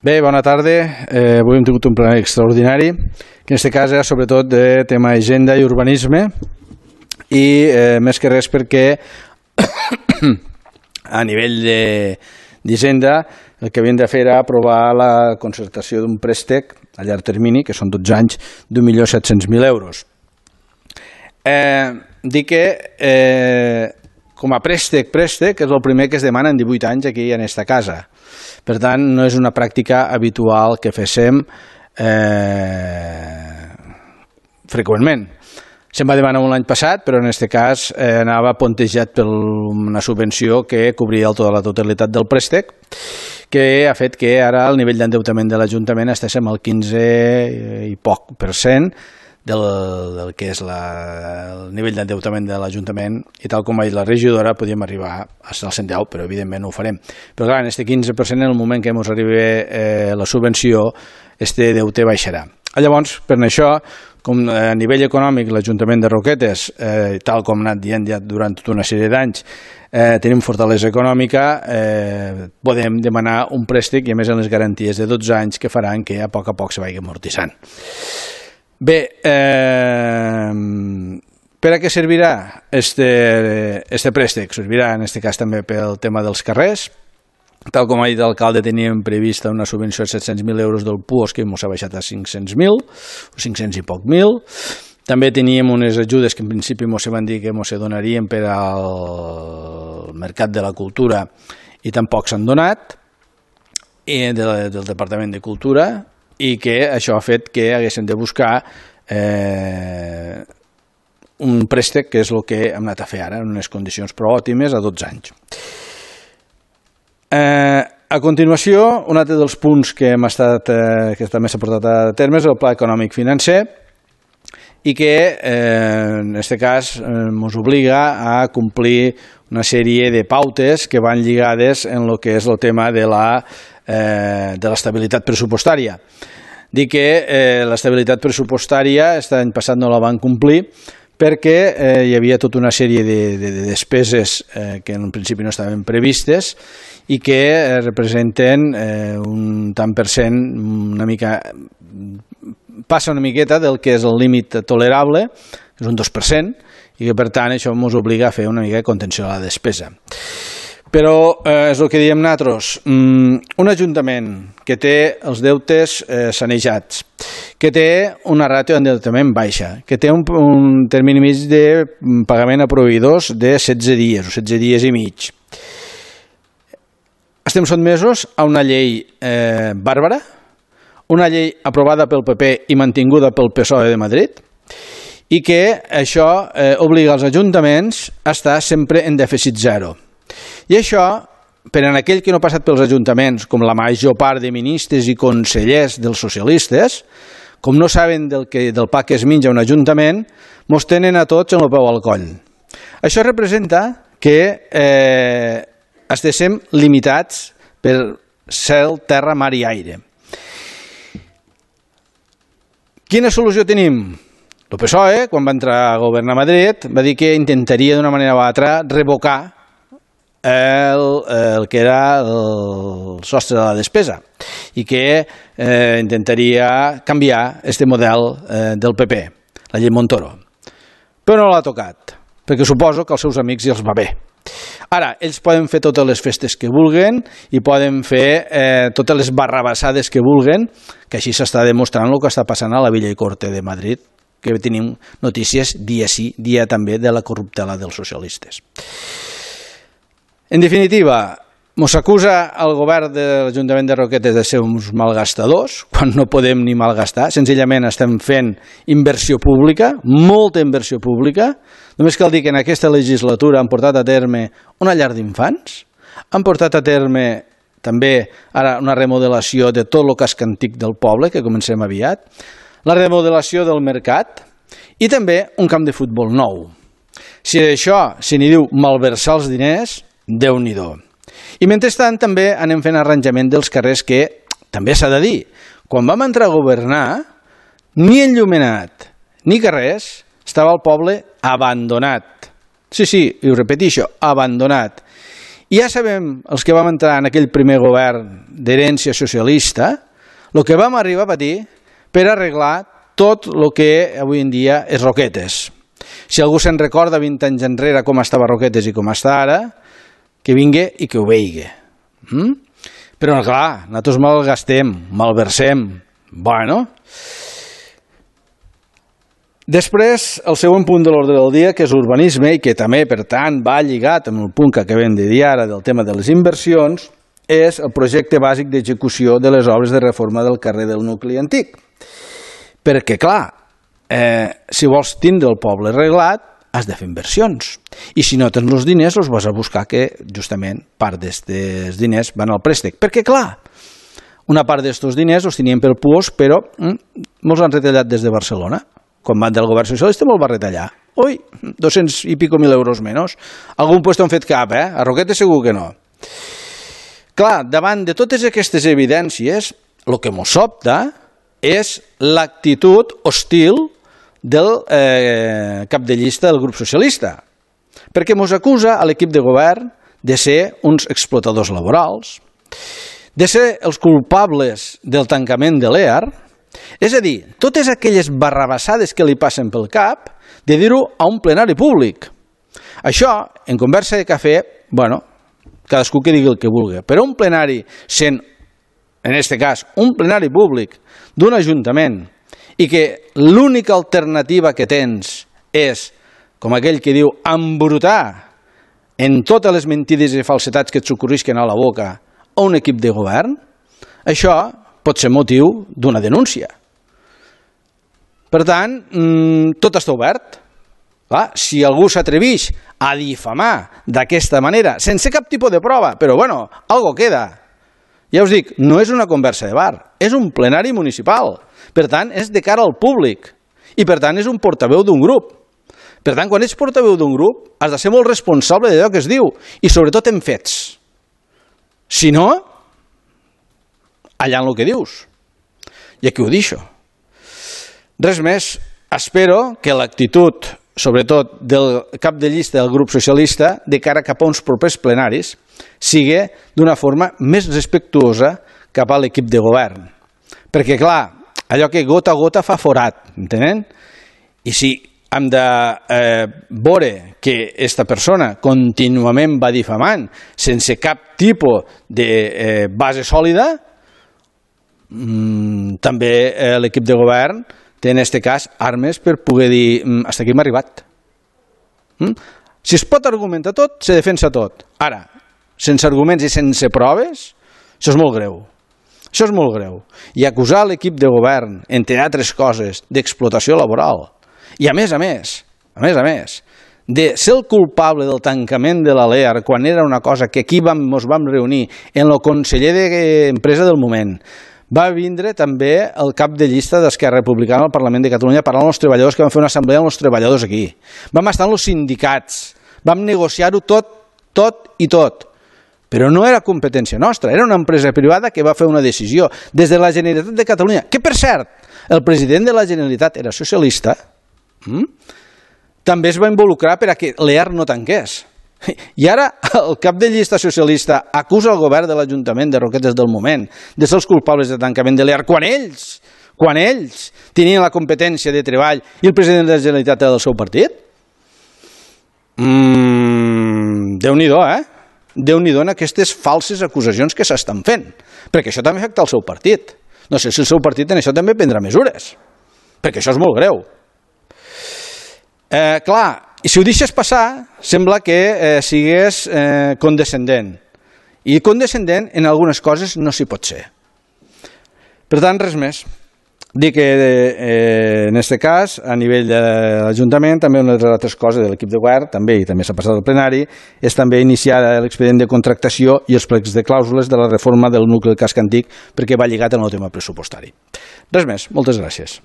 Bé, bona tarda. Avui hem tingut un ple extraordinari, que en aquest cas era sobretot de tema agenda i urbanisme, i més que res perquè a nivell d'Hisenda el que havien de fer era aprovar la concertació d'un préstec a llarg termini, que són 12 anys, d'1.700.000 euros. Dic que com a préstec és el primer que es demana en 18 anys aquí en aquesta casa. Per tant, no és una pràctica habitual que féssim freqüentment. Se'n va demanar un l'any passat, però en aquest cas anava puntejat per una subvenció que cobria la totalitat del préstec, que ha fet que ara el nivell d'endeutament de l'Ajuntament estiguem al 15 i poc % del que és el nivell d'endeutament de l'Ajuntament, i tal com ha dit la regidora podíem arribar als 110, però evidentment no ho farem. Però clar, en aquest 15%, en el moment que ens arribi la subvenció, este deute baixarà. Llavors, per això, com a nivell econòmic l'Ajuntament de Roquetes, tal com ha anat dient ja durant tota una sèrie d'anys, tenim fortalesa econòmica, podem demanar un préstec i a més en les garanties de 12 anys que faran que a poc se vagi amortitzant. Bé, per a què servirà este préstec? Servirà en aquest cas també pel tema dels carrers. Tal com ha dit l'alcalde, teníem prevista una subvenció de 700.000 euros del PUOS, que ens ha baixat a 500.000, o 500 i poc mil. També teníem unes ajudes que en principi ens van dir que ens donarien per al Mercat de la Cultura i tampoc s'han donat, del Departament de Cultura, i que això ha fet que haguessin de buscar un préstec, que és el que hem anat a fer ara, en unes condicions prou òptimes a 12 anys. A continuació, un altre dels punts que també s'ha portat a terme és el Pla Econòmic Financer, i que en aquest cas ens obliga a complir una sèrie de pautes que van lligades en el que és el tema de l'estabilitat pressupostària. Dic que l'estabilitat pressupostària l'any passat no la van complir perquè hi havia tota una sèrie de despeses que en principi no estaven previstes i que representen un tant per cent, passa una miqueta del que és el límit tolerable, és un 2%, i que per tant això ens obliga a fer una mica de contenció a la despesa. Però és el que diem nosaltres, un ajuntament que té els deutes sanejats, que té una ràtio d'endeutament baixa, que té un termini mig de pagament a proveïdors de 16 dies o 16 dies i mig. Estem sotmesos a una llei bàrbara, una llei aprovada pel PP i mantinguda pel PSOE de Madrid, i que això obliga els ajuntaments a estar sempre en dèficit zero. I això, per a aquell que no ha passat pels ajuntaments, com la major part de ministres i consellers dels socialistes, com no saben del pa que es menja un ajuntament, mos tenen a tots en el peu al coll. Això representa que estiguem limitats per cel, terra, mar i aire. Quina solució tenim? El PSOE, quan va entrar a governar a Madrid, va dir que intentaria d'una manera o altra revocar el que era el sostre de la despesa i que intentaria canviar este model del PP, la llei Montoro. Però no l'ha tocat, perquè suposo que als seus amics ja els va bé. Ara, ells poden fer totes les festes que vulguen i poden fer totes les barrabassades que vulguen, que així s'està demostrant el que està passant a la Villa i Corte de Madrid, que tenim notícies dia sí, dia també de la corruptela dels socialistes. En definitiva, ens acusa el govern de l'Ajuntament de Roquetes de ser uns malgastadors, quan no podem ni malgastar, senzillament estem fent inversió pública, molta inversió pública. Només cal dir que en aquesta legislatura han portat a terme una llar d'infants, han portat a terme també ara una remodelació de tot el casc antic del poble, que comencem aviat, la remodelació del mercat i també un camp de futbol nou. Si d'això se n'hi diu malversar els diners, Déu-n'hi-do. I mentrestant també anem fent arranjament dels carrers que, també s'ha de dir, quan vam entrar a governar, ni enllumenat ni carrers, estava el poble abandonat. Sí, i ho repeteixo, abandonat. I ja sabem, els que vam entrar en aquell primer govern d'herència socialista, el que vam arribar a patir per arreglar tot el que avui en dia és Roquetes. Si algú se'n recorda 20 anys enrere com estava Roquetes i com està ara, que vingui i que ho veigui. Però, clar, nosaltres malgastem, malversem. Bueno. Després, el següent punt de l'ordre del dia, que és urbanisme, i que també, per tant, va lligat amb el punt que acabem de dir ara del tema de les inversions, és el projecte bàsic d'execució de les obres de reforma del carrer del nucli antic. Perquè, clar, si vols tindre el poble arreglat, has de fer inversions. I si no tens els diners, els vas a buscar, que justament part d'aquests diners van al préstec. Perquè, clar, una part d'aquests diners els tenien pel puos, però molts han retallat des de Barcelona. Quan van del govern socialista me'l va retallar. Ui, 200 i pico mil euros menys. Algun puesto han fet cap, A Roquetes segur que no. Clar, davant de totes aquestes evidències, el que mos sobta és l'actitud hostil del cap de llista del grup socialista, perquè mos acusa a l'equip de govern de ser uns explotadors laborals, de ser els culpables del tancament de l'EAR, és a dir, totes aquelles barrabassades que li passen pel cap, de dir-ho a un plenari públic. Això, en conversa de cafè, bueno, cadascú que digui el que vulgui, però un plenari sent, en aquest cas, un plenari públic d'un ajuntament, i que l'única alternativa que tens és, com aquell que diu, embrutar en totes les mentides i falsetats que et s'ocorrisquen a la boca a un equip de govern, això pot ser motiu d'una denúncia. Per tant, tot està obert. Clar, si algú s'atreveix a difamar d'aquesta manera, sense cap tipus de prova, però bueno, algo queda. Ja us dic, no és una conversa de bar, és un plenari municipal. Per tant, és de cara al públic. I per tant, és un portaveu d'un grup. Per tant, quan ets portaveu d'un grup, has de ser molt responsable d'allò que es diu, i sobretot en fets. Si no, allà en el que dius. I aquí ho deixo. Res més, espero que l'actitud, sobretot del cap de llista del grup socialista, de cara cap a uns propers plenaris, sigui d'una forma més respectuosa cap a l'equip de govern. Perquè, clar, allò que gota a gota fa forat, entenen? I si hem de veure que aquesta persona contínuament va difamant sense cap tipus de base sòlida, també l'equip de govern té en aquest cas armes per poder dir fins aquí hem arribat. Si es pot argumentar tot, se defensa tot. Ara, sense arguments i sense proves, això és molt greu. Això és molt greu. I acusar l'equip de govern, entre altres coses, d'explotació laboral, i a més, de ser el culpable del tancament de la LEAR quan era una cosa que aquí ens vam reunir en el conseller d'Empresa del moment, va vindre també el cap de llista d'Esquerra Republicana al Parlament de Catalunya parlant amb els treballadors, que van fer una assemblea amb els treballadors aquí. Vam estar amb els sindicats, vam negociar-ho tot i tot. Però no era competència nostra, era una empresa privada que va fer una decisió des de la Generalitat de Catalunya, que per cert, el president de la Generalitat era socialista, també es va involucrar perquè l'EAR no tanqués. I ara el cap de llista socialista acusa el govern de l'Ajuntament de Roquetes del moment de ser els culpables de tancament de l'EAR quan ells tenien la competència de treball i el president de la Generalitat era del seu partit. Déu-n'hi-do, Déu-n'hi-do en aquestes falses acusacions que s'estan fent, perquè això també afecta el seu partit. No sé si el seu partit en això també prendrà mesures, perquè això és molt greu. Clar, i si ho deixes passar, sembla que sigués condescendent. I condescendent en algunes coses no s'hi pot ser. Per tant, res més. Dir que en aquest cas, a nivell de l'Ajuntament, també una de les altres coses de l'equip de govern, també s'ha passat al plenari, és també iniciar l'expedient de contractació i els plecs de clàusules de la reforma del nucli del casc antic, perquè va lligat en el tema pressupostari. Res més, moltes gràcies.